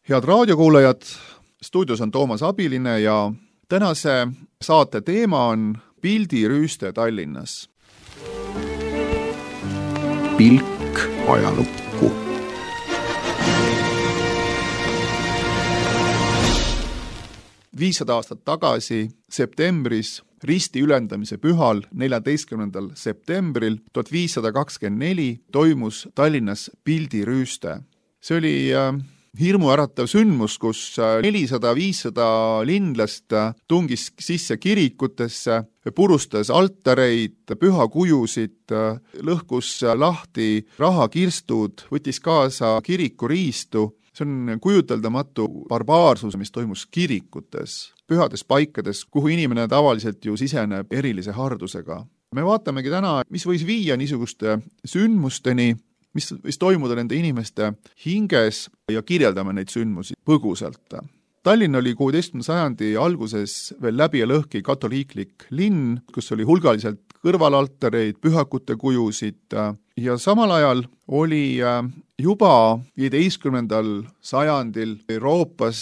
Head raadiokuulajad, stuudios on Toomas Abiline ja tänase saate teema on pildirüüste Tallinnas. Pilk ajalukku. Viissada aastat tagasi septembris risti ülendamise pühal 14. septembril 1524 toimus Tallinnas pildirüüste. See oli hirmuäratav sündmus, kus 400-500 linlast tungis sisse kirikutesse, purustas altareid, pühakujusid, lõhkus lahti rahakirstud, võttis kaasa kirikuriistu. See on kujuteldamatu barbaarsus, mis toimus kirikutes, pühades paikades, kuhu inimene tavaliselt ju siseneb erilise hardusega. Me vaatamegi täna, mis võis viia niisuguste sündmusteni, mis võis toimuda nende inimeste hinges ja kirjeldame neid sündmusi põgusalt. Tallinn oli 16. sajandi alguses veel läbi ja lõhki katoliiklik linn, kus oli hulgaliselt kõrvalaltareid, pühakute kujusid ja samal ajal oli juba 15. sajandil Euroopas,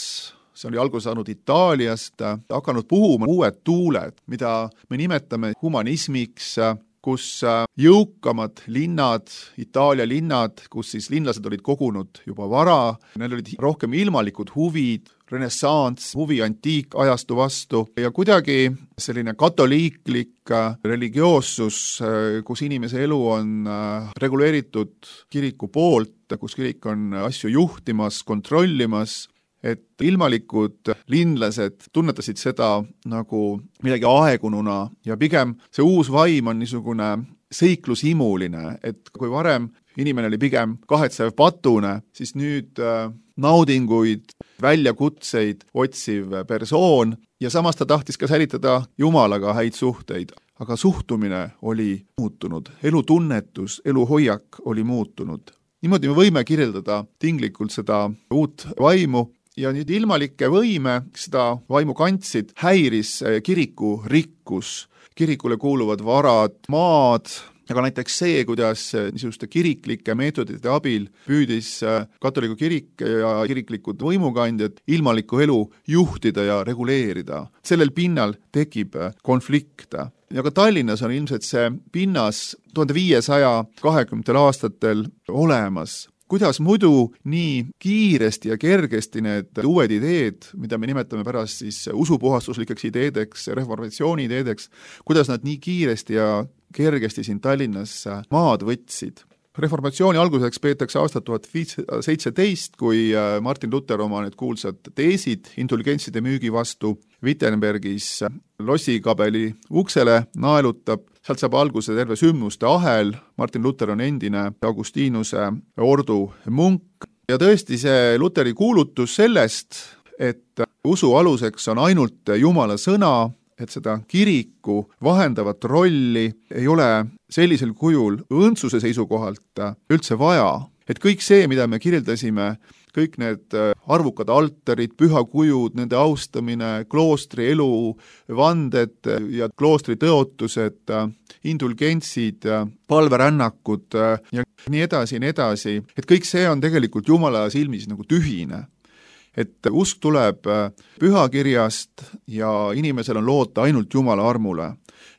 see oli alguse saanud Itaaliast, hakanud puhuma uued tuuled, mida me nimetame humanismiks, kus jõukamad linnad, Itaalia linnad, kus siis linlased olid kogunud juba vara, neil olid rohkem ilmalikud huvid, renessants, huvi antiikajastu vastu ja kuidagi selline katoliiklik religioossus, kus inimese elu on reguleeritud kiriku poolt, kus kirik on asju juhtimas, kontrollimas, et ilmalikud linlased tunnetasid seda nagu midagi aegununa ja pigem see uus vaim on niisugune seiklushimuline, et kui varem inimene oli pigem kahetsev patune, siis nüüd naudinguid, väljakutseid otsiv persoon ja samas ta tahtis ka säilitada Jumalaga häid suhteid, aga suhtumine oli muutunud, elutunnetus, eluhoiak oli muutunud. Niimoodi me võime kirjeldada tinglikult seda uut vaimu, ja nüüd ilmalikke võime, seda vaimu kandsid, häiris kiriku rikkus, kirikule kuuluvad varad, maad, aga näiteks see, kuidas niisuguste kiriklike meetodite abil püüdis katoliku kirik ja kiriklikud võimukandjad ilmalikku elu juhtida ja reguleerida. Sellel pinnal tekib konflikt. Ja ka Tallinnas on ilmselt see pinnas 1520 aastatel olemas. Kuidas muidu nii kiiresti ja kergesti need uued ideed, mida me nimetame pärast siis usupuhastuslikeks ideedeks, reformatsiooni ideedeks, kuidas nad nii kiiresti ja kergesti siin Tallinnas maad võtsid. Reformatsiooni alguseks peetakse aastat 1517, kui Martin Luther oma need kuulsad teesid indulgentside müügi vastu Wittenbergis lossikabeli uksele naelutab. Sealt saab alguse terve sündmuste ahel. Martin Luther on endine Augustinuse ordu munk. Ja tõesti see Lutheri kuulutus sellest, et usu aluseks on ainult Jumala sõna, et seda kiriku vahendavat rolli ei ole sellisel kujul õndsuse seisukohalt üldse vaja. Et kõik see, mida me kirjeldasime, kõik need arvukad altarid, pühakujud, nende austamine, kloostri elu, vanded ja kloostri tõotused, indulgentsid, palverännakud ja nii edasi, et kõik see on tegelikult Jumala silmis nagu tühine. Et usk tuleb pühakirjast ja inimesel on loota ainult Jumala armule.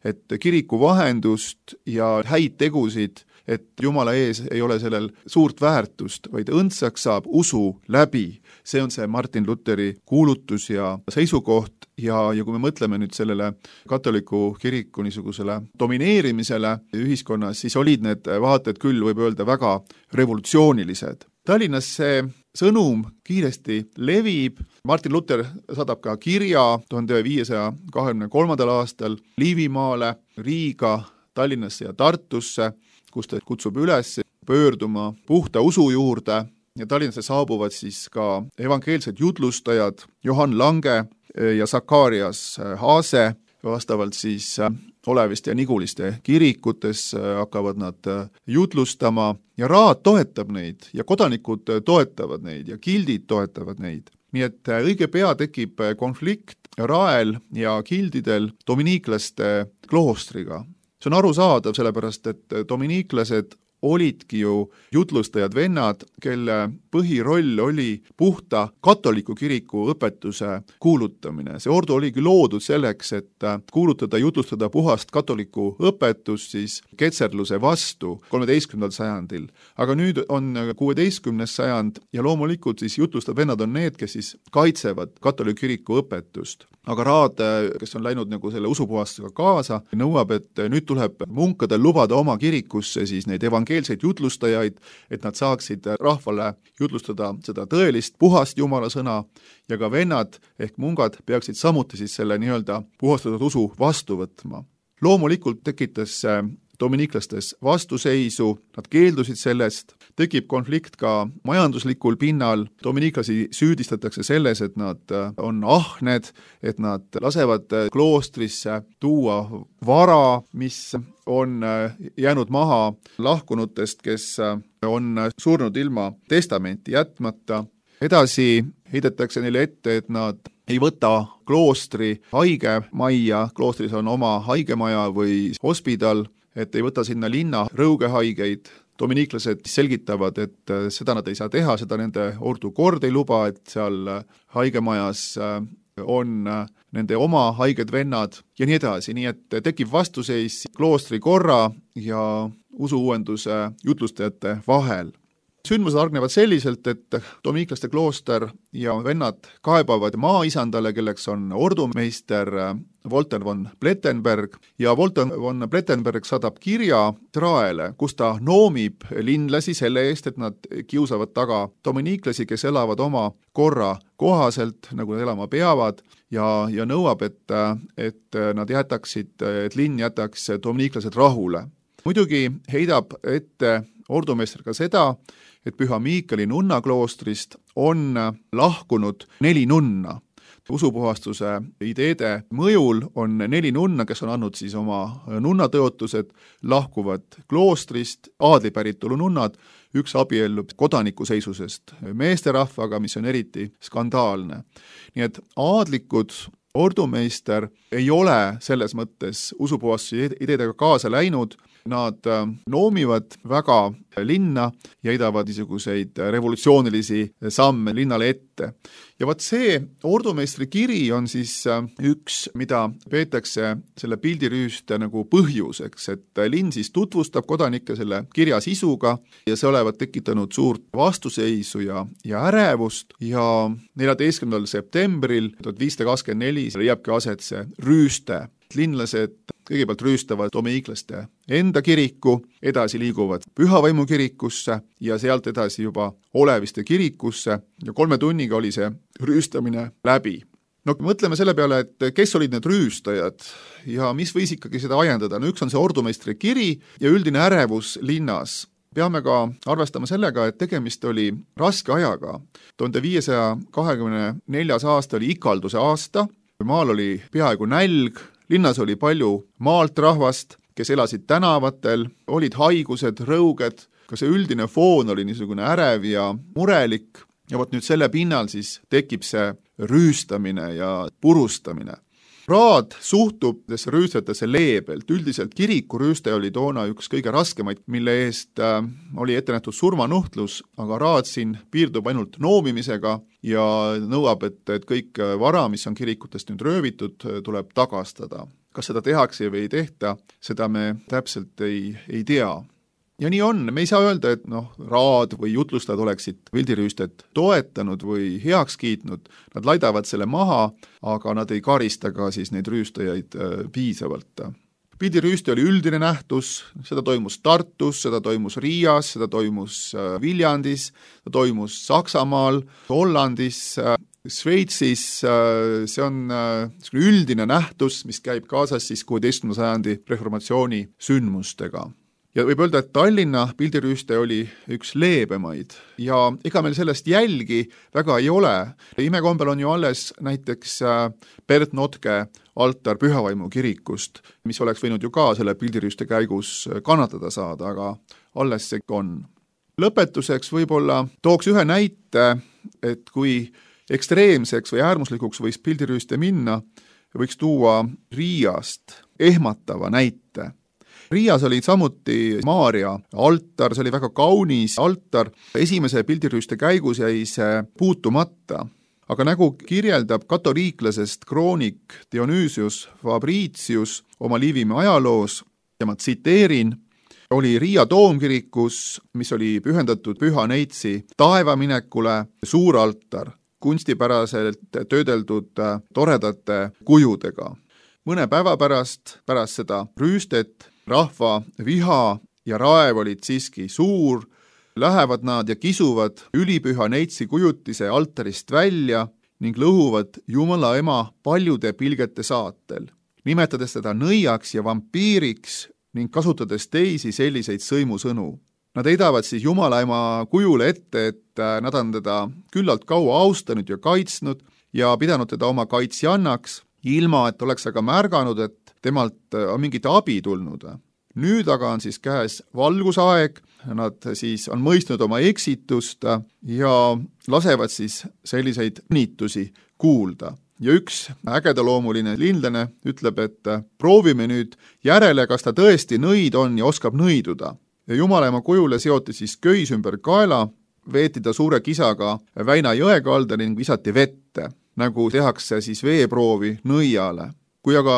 Et kiriku vahendust ja häid tegusid, et Jumala ees ei ole sellel suurt väärtust, vaid õndsaks saab usu läbi. See on see Martin Lutheri kuulutus ja seisukoht ja kui me mõtleme nüüd sellele katoliku kiriku niisugusele domineerimisele ühiskonnas, siis olid need vaated küll, võib öelda, väga revolutsioonilised. Tallinnas see sõnum kiiresti levib. Martin Luther saadab ka kirja 1523. aastal Liivimaale, Riiga, Tallinnasse ja Tartusse, kus ta kutsub üles pöörduma puhta usu juurde ja Tallinnasse saabuvad siis ka evangeelsed jutlustajad Johann Lange ja Sakarias Haase, vastavalt siis Oleviste ja Niguliste kirikutes hakkavad nad jutlustama ja raad toetab neid ja kodanikud toetavad neid ja gildid toetavad neid. Nii et õige pea tekib konflikt Rael ja gildidel dominiiklaste kloostriga. See on arusaadav, sellepärast et dominiiklased olidki ju jutlustajad vennad, kelle põhiroll oli puhta katoliku kiriku õpetuse kuulutamine. See ordu oligi loodud selleks, et kuulutada, jutlustada puhast katoliku õpetust siis ketserluse vastu 13. sajandil. Aga nüüd on 16. sajand ja loomulikult siis jutlustav vennad on need, kes siis kaitsevad katoliku kiriku õpetust. Aga Raad, kes on läinud nagu selle usupuhastusega kaasa, nõuab, et nüüd tuleb munkadel lubada oma kirikusse siis neid evangeelseid jutlustajaid, et nad saaksid rahvale jutlustada seda tõelist puhast Jumala sõna ja ka vennad ehk mungad peaksid samuti siis selle nii-öelda puhastatud usu vastu võtma. Loomulikult tekitas dominiiklastes vastuseisu, nad keeldusid sellest, tekib konflikt ka majanduslikul pinnal, dominiiklasi süüdistatakse selles, et nad on ahned, et nad lasevad kloostrisse tuua vara, mis on jäänud maha lahkunutest, kes on surnud ilma testamenti jätmata. Edasi heidetakse neile ette, et nad ei võta kloostri haigemajja, kloostris on oma haigemaja või hospidal, et ei võta sinna linna rõugehaigeid. Dominiiklased selgitavad, et seda nad ei saa teha, seda nende ordu kord ei luba, et seal haigemajas on nende oma haiged vennad ja nii edasi, nii et tekib vastuseis kloostri korra ja usuuuenduse jutlustajate vahel. Sündmused argnevad selliselt, et dominiiklaste klooster ja vennad kaebavad maaisandale, kelleks on ordumeister Wolter von Plettenberg ja Wolter von Plettenberg saadab kirja Traele, kus ta noomib linlasi selle eest, et nad kiusavad taga dominiiklasi, kes elavad oma korra kohaselt, nagu nad elama peavad ja nõuab, et nad jätaksid, et linn jätaks dominiiklased rahule. Muidugi heidab ette ordumeister ka seda, et Püha Miikali nunnakloostrist on lahkunud 4 nunna. Usupuhastuse ideede mõjul on 4 nunna, kes on andnud siis oma nunnatõotused, lahkuvad kloostrist, aadlipäritolu nunnad, üks abiellub kodanikuseisusest meesterahvaga, mis on eriti skandaalne. Nii et aadlikud ordumeister ei ole selles mõttes usupuhastuse ideedega kaasa läinud, nad noomivad väga linna ja heidavad niisuguseid revolutsioonilisi samme linnale ette. Ja vaat see ordumeistri kiri on siis üks, mida peetakse selle pildirüüste nagu põhjuseks, et linn siis tutvustab kodanikke selle kirja sisuga ja see olevat tekitanud suurt vastuseisu ja ärevust ja 14. septembril 1524 leiabki aset see rüüste. Linlased kõigepealt rüüstavad dominiiklaste enda kiriku, edasi liiguvad Pühavaimu kirikusse ja sealt edasi juba Oleviste kirikusse ja 3 tunniga oli see rüüstamine läbi. No mõtleme selle peale, et kes olid need rüüstajad ja mis võis ikkagi seda ajendada. No üks on see ordumeistri kiri ja üldine ärevus linnas. Peame ka arvestama sellega, et tegemist oli raske ajaga. 1524. aasta oli ikalduse aasta, maal oli peaaegu nälg, linnas oli palju maalt rahvast, kes elasid tänavatel, olid haigused, rõuged, ka see üldine foon oli niisugune ärev ja murelik ja vot nüüd selle pinnal siis tekib see rüüstamine ja purustamine. Raad suhtub rüüstajatesse leebelt, üldiselt kirikurüüste oli toona üks kõige raskemaid, mille eest oli ette nähtud surmanuhtlus, aga Raad siin piirdub ainult noomimisega ja nõuab, et kõik vara, mis on kirikutest nüüd röövitud, tuleb tagastada. Kas seda tehakse või ei tehta, seda me täpselt ei tea. Ja nii on, me ei saa öelda, et Raad või jutlustajad oleksid pildirüüstet toetanud või heaks kiitnud, nad laidavad selle maha, aga nad ei karista ka siis neid rüüstajaid piisavalt. Pildirüüste oli üldine nähtus, seda toimus Tartus, seda toimus Riias, seda toimus Viljandis, seda toimus Saksamaal, Hollandis, Sveitsis, see on üldine nähtus, mis käib kaasas siis 16. sajandi reformatsiooni sündmustega. Ja võib öelda, et Tallinna pildirüüste oli üks leebemaid ja ega meil sellest jälgi väga ei ole. Imekombel on ju alles näiteks Bert Notke altar Pühavaimu kirikust, mis oleks võinud ju ka selle pildirüüste käigus kannatada saada, aga alles see on. Lõpetuseks võib-olla tooks ühe näite, et kui ekstreemseks või äärmuslikuks võis pildirüüste minna, võiks tuua Riiast ehmatava näite. Riias oli samuti Maarja altar, see oli väga kaunis altar. Esimese pildirüüste käigus jäi see puutumata. Aga nagu kirjeldab katoliiklasest kroonik Dionysius Fabricius oma Liivimaa ajaloos, ja ma tsiteerin, oli Riia toomkirikus, mis oli pühendatud Püha Neitsi taevaminekule, suur altar, kunstipäraselt töödeldud toredate kujudega. Mõne päeva pärast seda rüüstet rahva viha ja raev olid siiski suur, lähevad nad ja kisuvad ülipüha Neitsi kujutise altarist välja ning lõhuvad Jumala ema paljude pilgete saatel, nimetades teda nõiaks ja vampiiriks ning kasutades teisi selliseid sõimusõnu. Nad heidavad siis Jumala ema kujule ette, et nad on teda küllalt kaua austanud ja kaitsnud ja pidanud teda oma kaitsjannaks, ilma et oleks aga märganud, et temalt on mingit abi tulnud. Nüüd aga on siis käes valgusaeg, nad siis on mõistnud oma eksitust ja lasevad siis selliseid niitusi kuulda. Ja üks ägedaloomuline linlane ütleb, et proovime nüüd järele, kas ta tõesti nõid on ja oskab nõiduda. Ja Jumala ema kujule seoti siis köis ümber kaela, veeti ta suure kisaga Väina jõe kalda ning visati vette, nagu tehakse siis veeproovi nõiale. Kui aga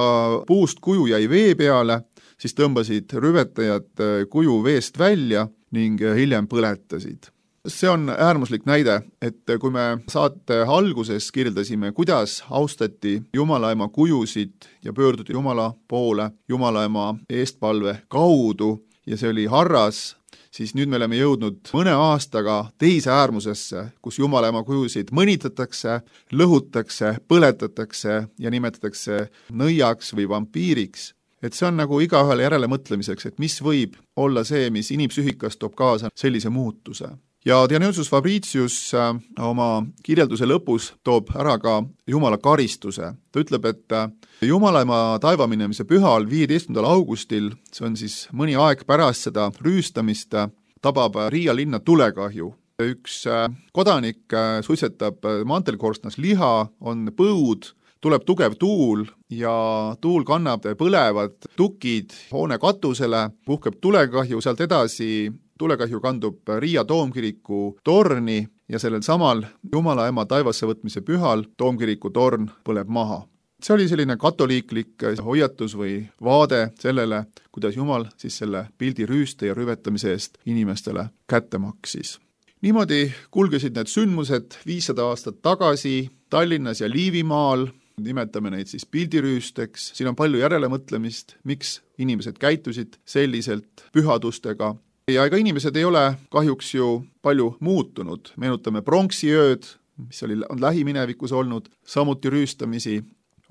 puust kuju jäi vee peale, siis tõmbasid rüvetajad kuju veest välja ning hiljem põletasid. See on äärmuslik näide, et kui me saate alguses kirjeldasime, kuidas austati Jumala ema kujusid ja pöörduti Jumala poole Jumala ema eestpalve kaudu ja see oli harras, siis nüüd me oleme jõudnud mõne aastaga teise äärmusesse, kus Jumala ema kujusid mõnitatakse, lõhutakse, põletatakse ja nimetatakse nõiaks või vampiiriks. Et see on nagu igaühele järele mõtlemiseks, et mis võib olla see, mis inimpsüühikas toob kaasa sellise muutuse. Ja Dionysius Fabricius oma kirjelduse lõpus toob ära ka Jumala karistuse. Ta ütleb, et Jumala ema taevaminemise pühal 15. augustil, see on siis mõni aeg pärast seda rüüstamist, tabab Riia linna tulekahju. Üks kodanik suitsetab mantelkorstnas liha, on põud, tuleb tugev tuul ja tuul kannab põlevad tukid hoone katusele, puhkeb tulekahju, sealt edasi tulekahju kandub Riia toomkiriku torni ja sellel samal Jumala ema taivasse võtmise pühal toomkiriku torn põleb maha. See oli selline katoliiklik hoiatus või vaade sellele, kuidas Jumal siis selle pildi rüüste ja rüvetamise eest inimestele kätte maksis. Niimoodi kulgesid need sündmused 500 aastat tagasi Tallinnas ja Liivimaal, nimetame neid siis pildirüüsteks, siin on palju järelemõtlemist, miks inimesed käitusid selliselt pühadustega. Ja ega inimesed ei ole kahjuks ju palju muutunud. Meenutame pronksiööd, mis on lähiminevikus olnud, samuti rüüstamisi.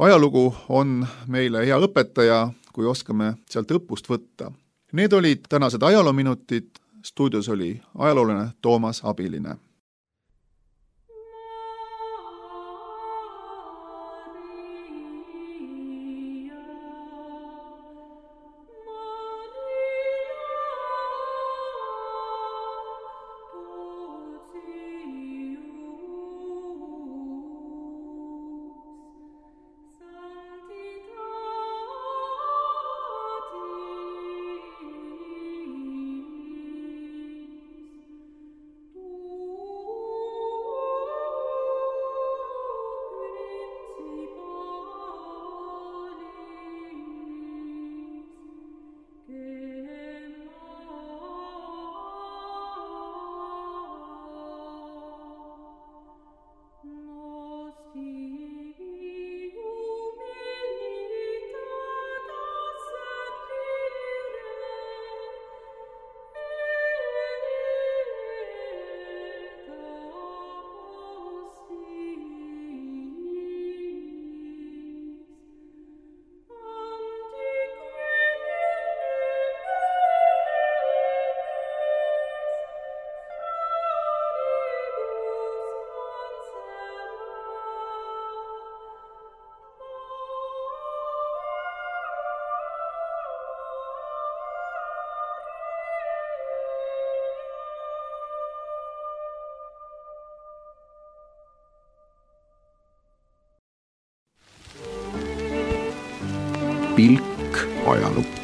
Ajalugu on meile hea õpetaja, kui oskame sealt õppust võtta. Need olid tänased ajaloominutid. Stuudios oli ajaloolane Toomas Abiline. Pilk ajalukku.